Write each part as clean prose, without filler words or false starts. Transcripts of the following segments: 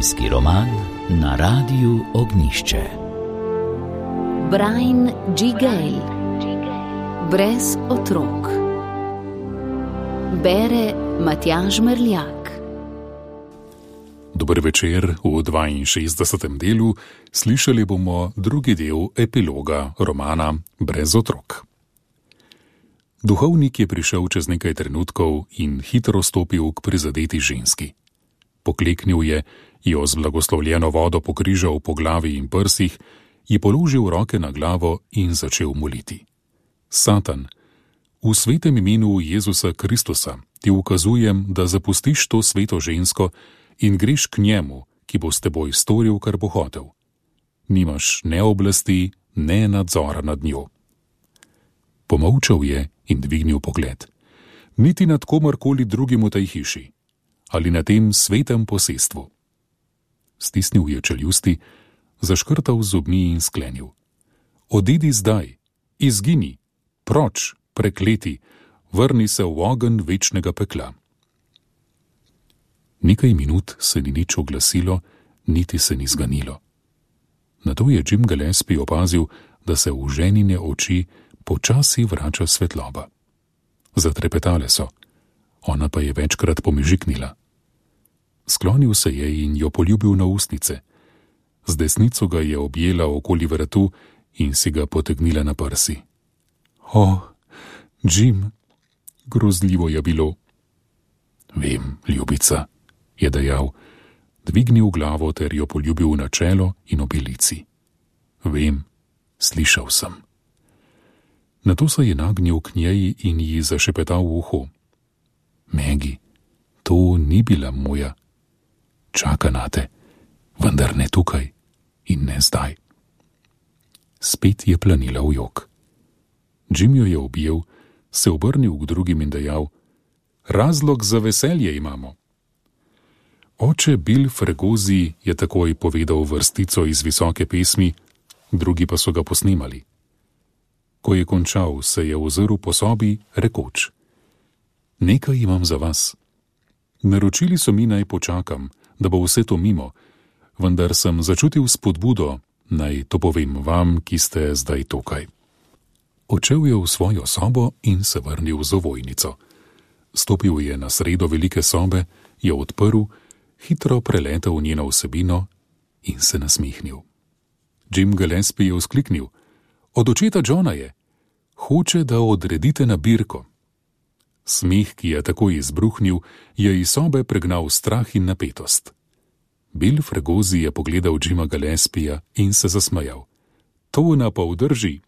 Družinski roman na Radiu Ognjišče. Brian G. Gale. Brez otrok. Bere Matjaž Merljak. Dober večer. V 62. delu slišali bomo drugi del epiloga romana Brez otrok. Duhovnik je prišel čez nekaj trenutkov in hitro stopil k prizadeti ženski. Pokleknil je, jo z blagoslovljeno vodo pokrižal po glavi in prsih, ji položil roke na glavo in začel moliti. Satan, v svetem imenu Jezusa Kristusa ti ukazujem, da zapustiš to sveto žensko in greš k njemu, ki bo s teboj storil, kar bo hotel. Nimaš ne oblasti, ne nadzora nad njo. Pomolčal je in dvignil pogled. Niti nad komarkoli drugim v tej hiši ali na tem svetem posestvu. Stisnil je čeljusti, zaškrtal zobmi in sklenil. Odidi zdaj, izgini, proč, prekleti, vrni se v ogenj večnega pekla. Nekaj minut se ni nič oglasilo, niti se ni zganilo. Nato je Jim Gillespie opazil, da se v ženine oči počasi vrača svetloba. Zatrepetale so, ona pa je večkrat pomežiknila. Sklonil se je in jo poljubil na ustnice. Z desnico ga je objela okoli vratu in si ga potegnila na prsi. O, Jim, grozljivo je bilo. Vem, ljubica, je dejal, dvignil glavo ter jo poljubil na čelo in obilici. Vem, slišal sem. Nato se je nagnil k njej in ji zašepetal v uho. Megi, to ni bila moja. Čaka nate, vendar ne tukaj in ne zdaj. Spet je planila v jok. Jim jo je objel, se obrnil k drugim in dejal, razlog za veselje imamo. Oče Bill Fregosi je takoj povedal vrstico iz visoke pesmi, drugi pa so ga posnemali. Ko je končal, se je ozrl po sobi, rekoč, nekaj imam za vas. Naročili so mi, naj počakam, da bo vse to mimo, vendar sem začutil spodbudo, naj to povem vam, ki ste zdaj tukaj. Odšel je v svojo sobo in se vrnil z ovojnico. Stopil je na sredo velike sobe, jo odprl, hitro preletel njeno vsebino in se nasmihnil. Jim Gillespie je vzkliknil, od očeta Johna je, hoče, da odredite nabirko. Smeh, ki je takoj izbruhnil, je iz sobe pregnal strah in napetost. Bill Fregosi je pogledal Jima Gillespija in se zasmejal. To napol drži.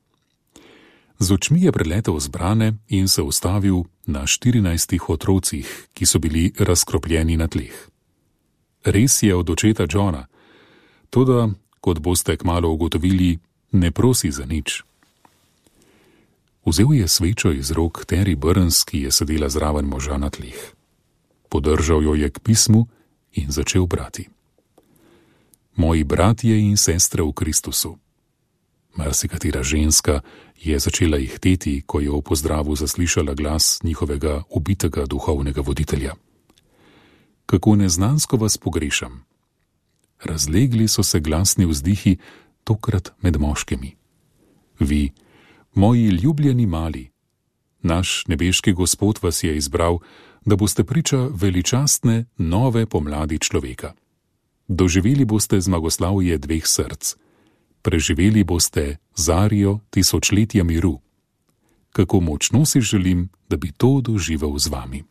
Z očmi je preletel zbrane in se ustavil na 14 otrocih, ki so bili razkropljeni na tleh. Res je od očeta Johna, toda, kot boste kmalu ugotovili, ne prosi za nič. Vzel je svečo iz rok Terry Burns, ki je sedela zraven moža na tleh. Podržal jo je k pismu in začel brati. Moji bratje in sestre v Kristusu. Marsikatera ženska je začela ihteti, ko je v pozdravu zaslišala glas njihovega ubitega duhovnega voditelja. Kako neznansko vas pogrešam. Razlegli so se glasni vzdihi, tokrat med moškimi. Vi, moji ljubljeni mali, naš nebeški Gospod vas je izbral, da boste priča veličastne nove pomladi človeka. Doživeli boste zmagoslavje dveh src. Preživeli boste zarjo tisočletja miru. Kako močno si želim, da bi to doživel z vami.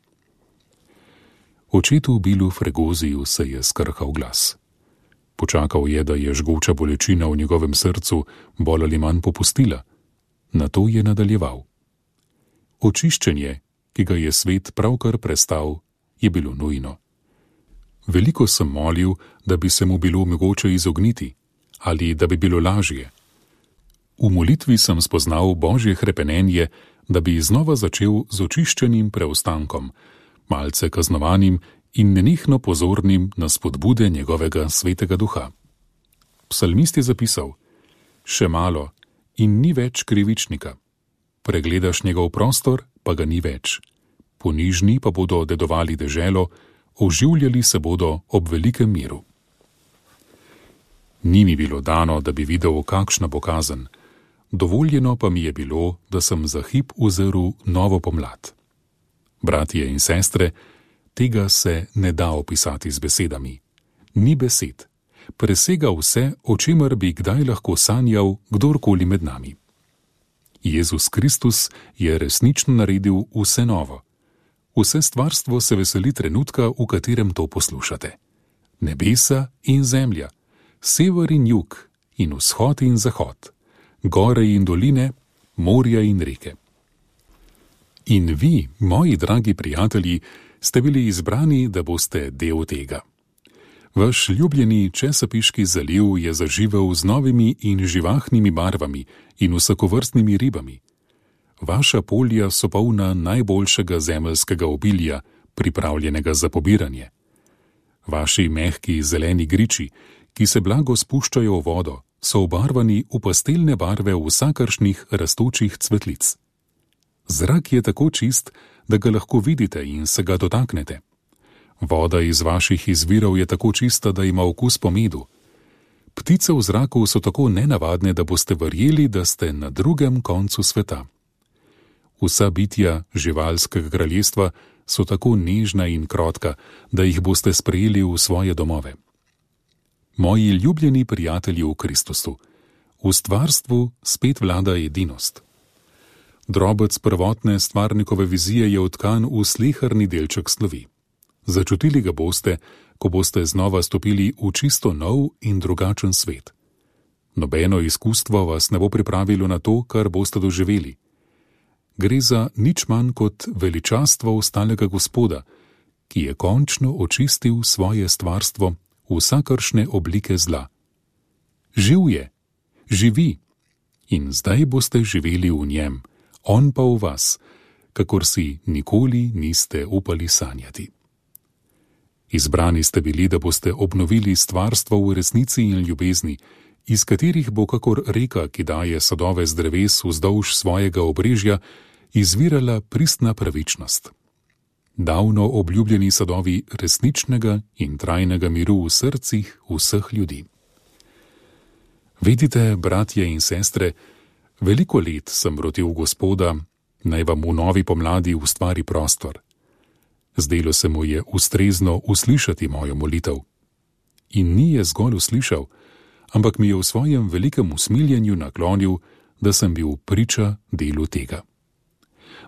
Očetu Billu Fregosiju se je skrhal glas. Počakal je, da je žgoča bolečina v njegovem srcu bolj ali manj popustila. Nato je nadaljeval. Očiščenje, ki ga je svet pravkar prestal, je bilo nujno. Veliko sem molil, da bi se mu bilo mogoče izogniti, ali da bi bilo lažje. V molitvi sem spoznal Božje hrepenenje, da bi znova začel z očiščenim preostankom, malce kaznovanim in nenehno pozornim na spodbude njegovega svetega duha. Psalmist je zapisal, še malo in ni več krivičnika. Pregledaš njegov prostor, pa ga ni več. Ponižni pa bodo dedovali deželo, oživljali se bodo ob velikem miru. Ni mi bilo dano, da bi videl, kakšna bo kazen. Dovoljeno pa mi je bilo, da sem za hip uzrl novo pomlad. Bratje in sestre, tega se ne da opisati z besedami. Ni besed. Presega vse, o čemer bi kdaj lahko sanjal kdorkoli med nami. Jezus Kristus je resnično naredil vse novo. Vse stvarstvo se veseli trenutka, v katerem to poslušate. Nebesa in zemlja, sever in jug in vzhod in zahod, gore in doline, morja in reke. In vi, moji dragi prijatelji, ste bili izbrani, da boste del tega. Vaš ljubljeni Chesapeake zaliv je zaživel z novimi in živahnimi barvami in vsakovrstnimi ribami. Vaša polja so polna najboljšega zemeljskega obilja, pripravljenega za pobiranje. Vaši mehki zeleni griči, ki se blago spuščajo v vodo, so obarvani v pastelne barve vsakršnih rastočih cvetlic. Zrak je tako čist, da ga lahko vidite in se ga dotaknete. Voda iz vaših izvirov je tako čista, da ima okus po medu. Ptice v zraku so tako nenavadne, da boste verjeli, da ste na drugem koncu sveta. Vsa bitja živalskega kraljestva so tako nežna in krotka, da jih boste sprejeli v svoje domove. Moji ljubljeni prijatelji v Kristusu, v stvarstvu spet vlada edinost. Drobec prvotne stvarnikove vizije je utkan v sleherni delček slovi. Začutili ga boste, ko boste znova stopili v čisto nov in drugačen svet. Nobeno izkustvo vas ne bo pripravilo na to, kar boste doživeli. Gre za nič manj kot veličastvo ostalega Gospoda, ki je končno očistil svoje stvarstvo vsakršne oblike zla. Živ je, živi in zdaj boste živeli v njem, on pa v vas, kakor si nikoli niste upali sanjati. Izbrani ste bili, da boste obnovili stvarstvo v resnici in ljubezni, iz katerih bo kakor reka, ki daje sadove z dreves vzdolž svojega obrežja, izvirala pristna pravičnost. Davno obljubljeni sadovi resničnega in trajnega miru v srcih vseh ljudi. Vedite, bratje in sestre, veliko let sem rotil Gospoda, naj vam v novi pomladi ustvari prostor. Zdelo se mu je ustrezno uslišati mojo molitev. In ni je zgolj uslišal, ampak mi je v svojem velikem usmiljenju naklonil, da sem bil priča delu tega.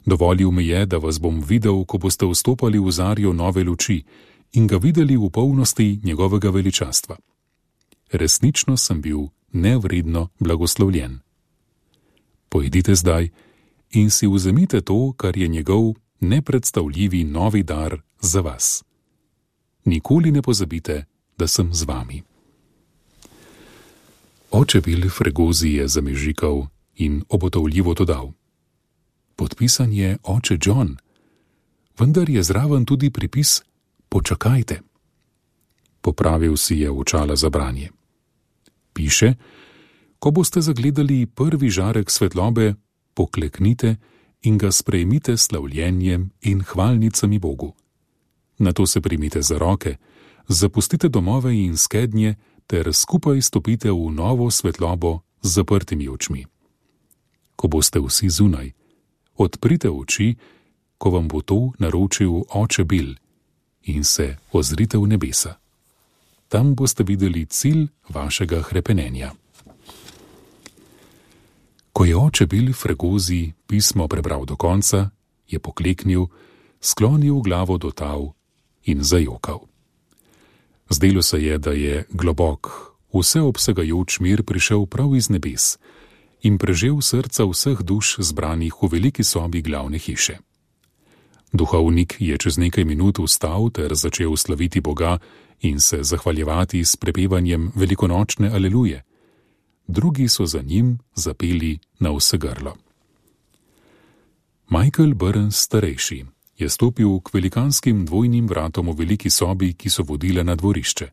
Dovolil mi je, da vas bom videl, ko boste vstopali v zarjo nove luči in ga videli v polnosti njegovega veličastva. Resnično sem bil nevredno blagoslovljen. Pojdite zdaj in si vzemite to, kar je njegov nepredstavljivi novi dar za vas. Nikoli ne pozabite, da sem z vami. Oče Bill Fregosi je zamežikal in obotavljivo dodal: Podpisan je oče John, vendar je zraven tudi pripis počakajte. Popravil si je očala za branje. Piše: ko boste zagledali prvi žarek svetlobe, pokleknite in ga sprejmite s slavljenjem in hvalnicami Bogu. Nato se primite za roke, zapustite domove in skednje ter skupaj stopite v novo svetlobo z zaprtimi očmi. Ko boste vsi zunaj, odprite oči, ko vam bo to naročil oče Bill, in se ozrite v nebesa. Tam boste videli cilj vašega hrepenenja. Ko je oče Bill Fregosi pismo prebral do konca, je pokleknil, sklonil glavo do tal in zajokal. Zdelo se je, da je globok, vseobsegajoč mir prišel prav iz nebes in prežel srca vseh duš zbranih v veliki sobi glavne hiše. Duhovnik je čez nekaj minut vstal ter začel slaviti Boga in se zahvaljevati s prepevanjem velikonočne aleluje. Drugi so za njim zapeli na vse grlo. Michael Burns starejši je stopil k velikanskim dvojnim vratom v veliki sobi, ki so vodile na dvorišče.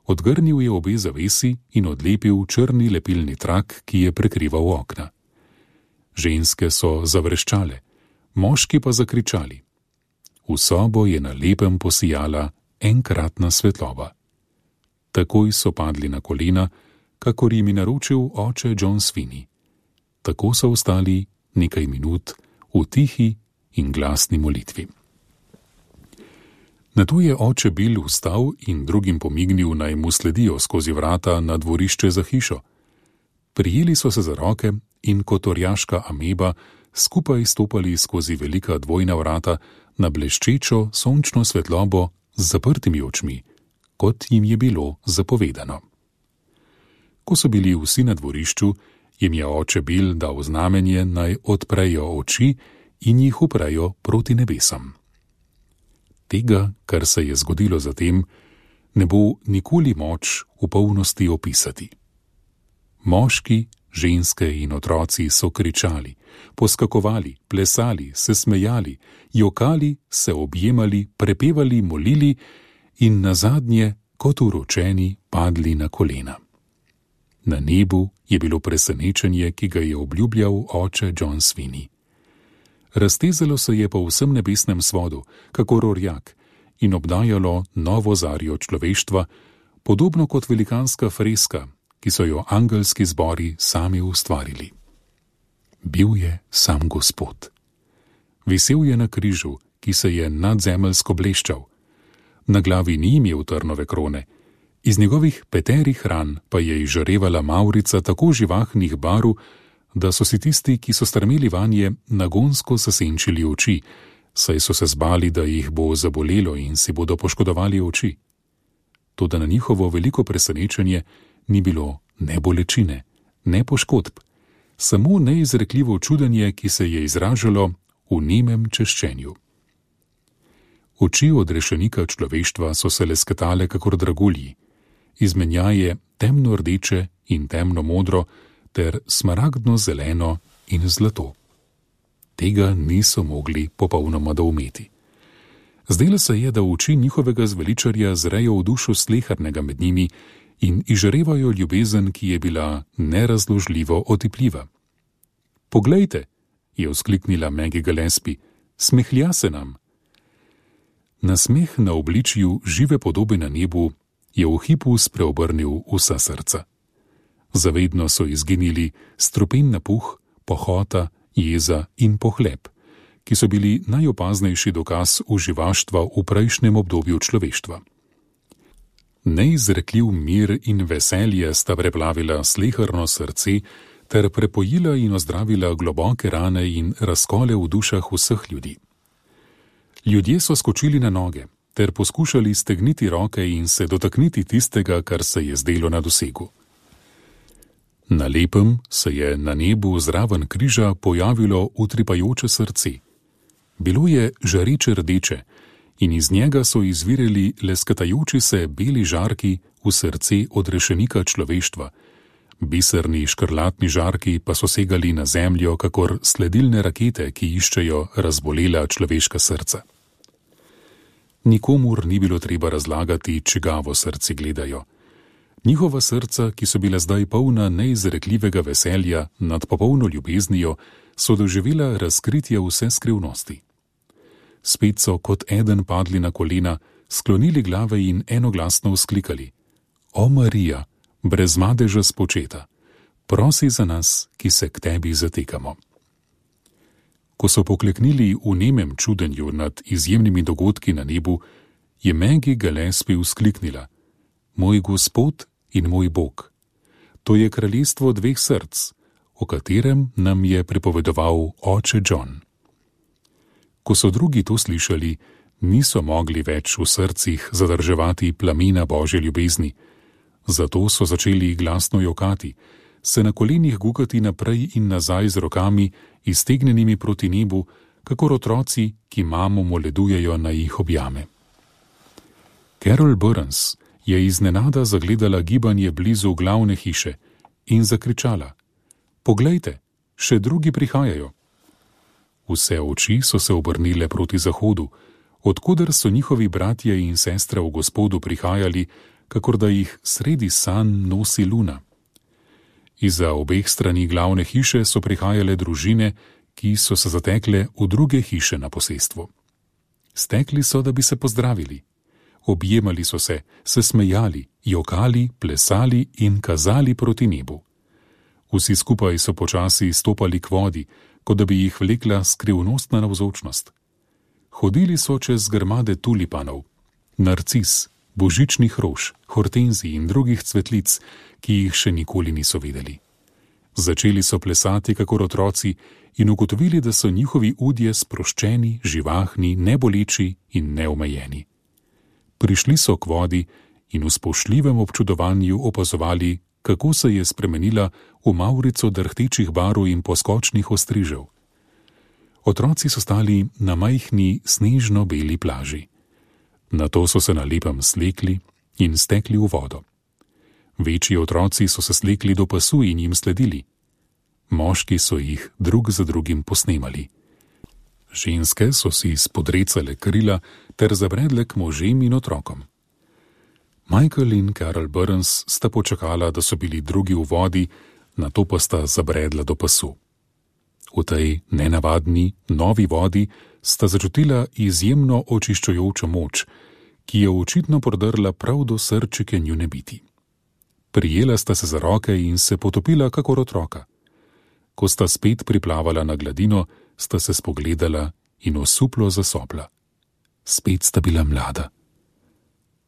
Odgrnil je obe zavesi in odlepil črni lepilni trak, ki je prekrival okna. Ženske so zavreščale, moški pa zakričali. V sobo je na lepem posijala enkratna svetloba. Takoj so padli na kolena, kakor jim je naročil oče John Sweeney. Tako so ostali nekaj minut v tihi in glasni molitvi. Nato je oče Bill vstal in drugim pomignil, naj mu sledijo skozi vrata na dvorišče za hišo. Prijeli so se za roke in kot orjaška ameba skupaj stopali skozi velika dvojna vrata na bleščečo sončno svetlobo z zaprtimi očmi, kot jim je bilo zapovedano. Ko so bili vsi na dvorišču, jim je oče Bill dal znamenje, naj odprejo oči in jih uprejo proti nebesom. Tega, kar se je zgodilo zatem, ne bo nikoli moč v polnosti opisati. Moški, ženske in otroci so kričali, poskakovali, plesali, se smejali, jokali, se objemali, prepevali, molili in nazadnje, kot uročeni, padli na kolena. Na nebu je bilo presenečenje, ki ga je obljubljal oče John Sweeney. Raztezalo se je po vsem nebesnem svodu, kakor orjak, in obdajalo novo zarjo človeštva, podobno kot velikanska freska, ki so jo angelski zbori sami ustvarili. Bil je sam Gospod. Visel je na križu, ki se je nadzemeljsko bleščal. Na glavi ni imel trnove krone, iz njegovih peterih ran pa je izžarevala mavrica tako živahnih barv, da so si tisti, ki so strmeli vanje, nagonsko zasenčili oči, saj so se zbali, da jih bo zabolelo in si bodo poškodovali oči. Toda na njihovo veliko presenečenje ni bilo ne bolečine, ne poškodb, samo neizrekljivo čudenje, ki se je izražalo v nemem češčenju. Oči odrešenika človeštva so se lesketale kakor dragulji, izmenjaje temno rdeče in temno modro ter smaragdno zeleno in zlato. Tega niso mogli popolnoma doumeti. Zdelo se je, da v oči njihovega zveličarja zrejo v dušo slehernego med njimi in izžarevajo ljubezen, ki je bila nerazložljivo otipljiva. Poglejte, je vzkliknila Maggie Gillespie, smehlja se nam. Nasmeh na obličju žive podobe na nebu je v hipu spreobrnil vsa srca. Zavedno so izginili strupen napuh, pohota, jeza in pohlep, ki so bili najopaznejši dokaz uživaštva v prejšnjem obdobju človeštva. Neizrekljiv mir in veselje sta preplavila sleherno srce ter prepojila in ozdravila globoke rane in razkole v dušah vseh ljudi. Ljudje so skočili na noge ter poskušali stegniti roke in se dotakniti tistega, kar se je zdelo na dosegu. Na lepem se je na nebu zraven križa pojavilo utripajoče srce. Bilo je žareče rdeče in iz njega so izvirali lesketajoči se beli žarki v srce odrešenika človeštva. Biserni škrlatni žarki pa so segali na zemljo kakor sledilne rakete, ki iščejo razbolela človeška srca. Nikomur ni bilo treba razlagati, čigavo srce gledajo. Njihova srca, ki so bila zdaj polna neizrekljivega veselja nad popolno ljubeznijo, so doživela razkritje vse skrivnosti. Spet so kot eden padli na kolena, sklonili glave in enoglasno vzklikali: O Marija, brez madeža spočeta, prosi za nas, ki se k tebi zatekamo. Ko so pokleknili v nemem čudenju nad izjemnimi dogodki na nebu, je Maggie Gillespie vzkliknila: Moj Gospod in moj Bog. To je kraljestvo dveh src, o katerem nam je pripovedoval oče John. Ko so drugi to slišali, niso mogli več v srcih zadrževati plamena Božje ljubezni, zato so začeli glasno jokati, se na kolenih gukati naprej in nazaj z rokami, iztegnjenimi proti nebu, kakor otroci, ki mamo moledujejo, naj jih objame. Carol Burns je iznenada zagledala gibanje blizu glavne hiše in zakričala: Poglejte, še drugi prihajajo. Vse oči so se obrnile proti zahodu, odkoder so njihovi bratje in sestre v Gospodu prihajali, kakor da jih sredi sanj nosi luna. Izza obeh strani glavne hiše so prihajale družine, ki so se zatekle v druge hiše na posestvu. Stekli so, da bi se pozdravili. Objemali so se smejali jokali, plesali in kazali proti nebu. Vsi skupaj so počasi stopali k vodi, kot da bi jih vlekla skrivnostna navzočnost. Hodili so čez grmade tulipanov, narcis, božičnih rož, hortenzij in drugih cvetlic, ki jih še nikoli niso videli. Začeli so plesati kakor otroci in ugotovili, da so njihovi udje sproščeni, živahni, neboleči in neomejeni. Prišli so k vodi in v spoštljivem občudovanju opazovali, kako se je spremenila v mavrico drhtečih barv in poskočnih ostrižev. Otroci so stali na majhni snežno-beli plaži. Nato so se na lepem slekli in stekli v vodo. Večji otroci so se slekli do pasu in jim sledili. Moški so jih drug za drugim posnemali. Ženske so si spodrecale krila ter zabredle k možem in otrokom. Michael in Carol Burns sta počakala, da so bili drugi v vodi, nato pa sta zabredla do pasu. V tej nenavadni, novi vodi sta začutila izjemno očiščujočo moč, ki je očitno prodrla prav do srčike njune biti. Prijela sta se za roke in se potopila kakor otroka. Ko sta spet priplavala na gladino, sta se spogledala in osuplo zasopla. Spet sta bila mlada.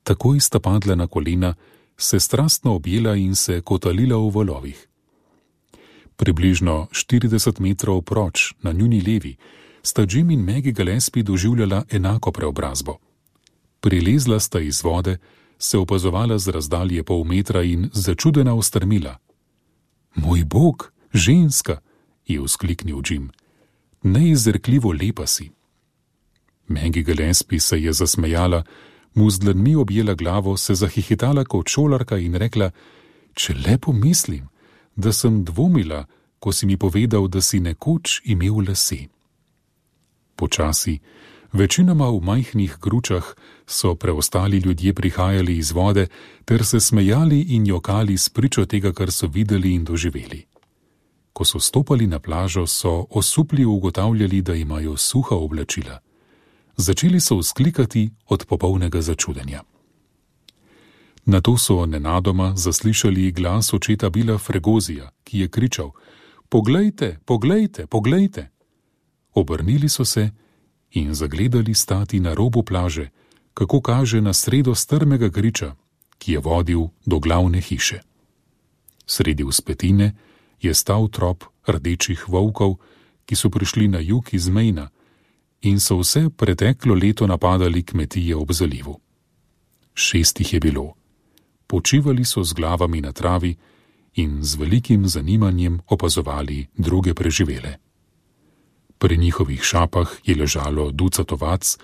Takoj sta padla na kolena, se strastno objela in se kotalila v valovih. Približno 40 metrov proč, na njuni levi, sta Jim in Maggie Gillespie doživljala enako preobrazbo. Prilezla sta iz vode, se opazovala z razdalje pol metra in začudena ustrmila. Moj bog, ženska, je vzkliknil Jim. Neizrekljivo lepa si. Maggie Gillespie se je zasmejala, mu z dlanmi objela glavo, se zahihitala kot šolarka in rekla, če le pomislim, da sem dvomila, ko si mi povedal, da si nekoč imel lase. Počasi, večinoma v majhnih gručah, so preostali ljudje prihajali iz vode ter se smejali in jokali spričo tega, kar so videli in doživeli. Ko so stopali na plažo, so osupli ugotavljali, da imajo suha oblačila. Začeli so vzklikati od popolnega začudenja. Nato so nenadoma zaslišali glas očeta Billa Fregozija, ki je kričal: Poglejte, poglejte, poglejte! Obrnili so se in zagledali stati na robu plaže, kako kaže na sredo strmega griča, ki je vodil do glavne hiše. Sredi vzpetine je stal trop rdečih volkov, ki so prišli na jug iz Maina in so vse preteklo leto napadali kmetije ob zalivu. 6 jih je bilo. Počivali so z glavami na travi in z velikim zanimanjem opazovali druge preživele. Pri njihovih šapah je ležalo ducat ovac,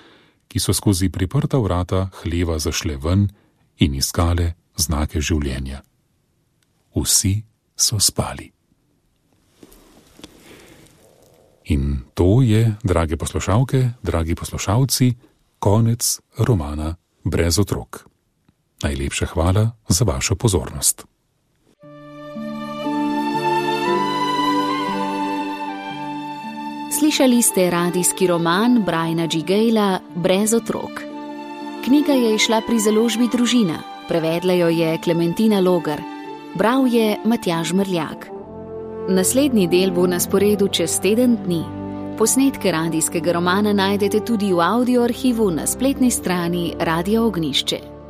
ki so skozi priprta vrata hleva zašle ven in iskale znake življenja. Vsi so spali. In to je, drage poslušalke, dragi poslušalci, konec romana Brez otrok. Najlepša hvala za vašo pozornost. Slišali ste radijski roman Briana G. Gayla Brez otrok. Knjiga je izšla pri založbi Družina, prevedla jo je Klementina Logar, bral je Matjaž Mrljak. Naslednji del bo na sporedu čez teden dni. Posnetke radijskega romana najdete tudi v audio arhivu na spletni strani Radia Ognjišče.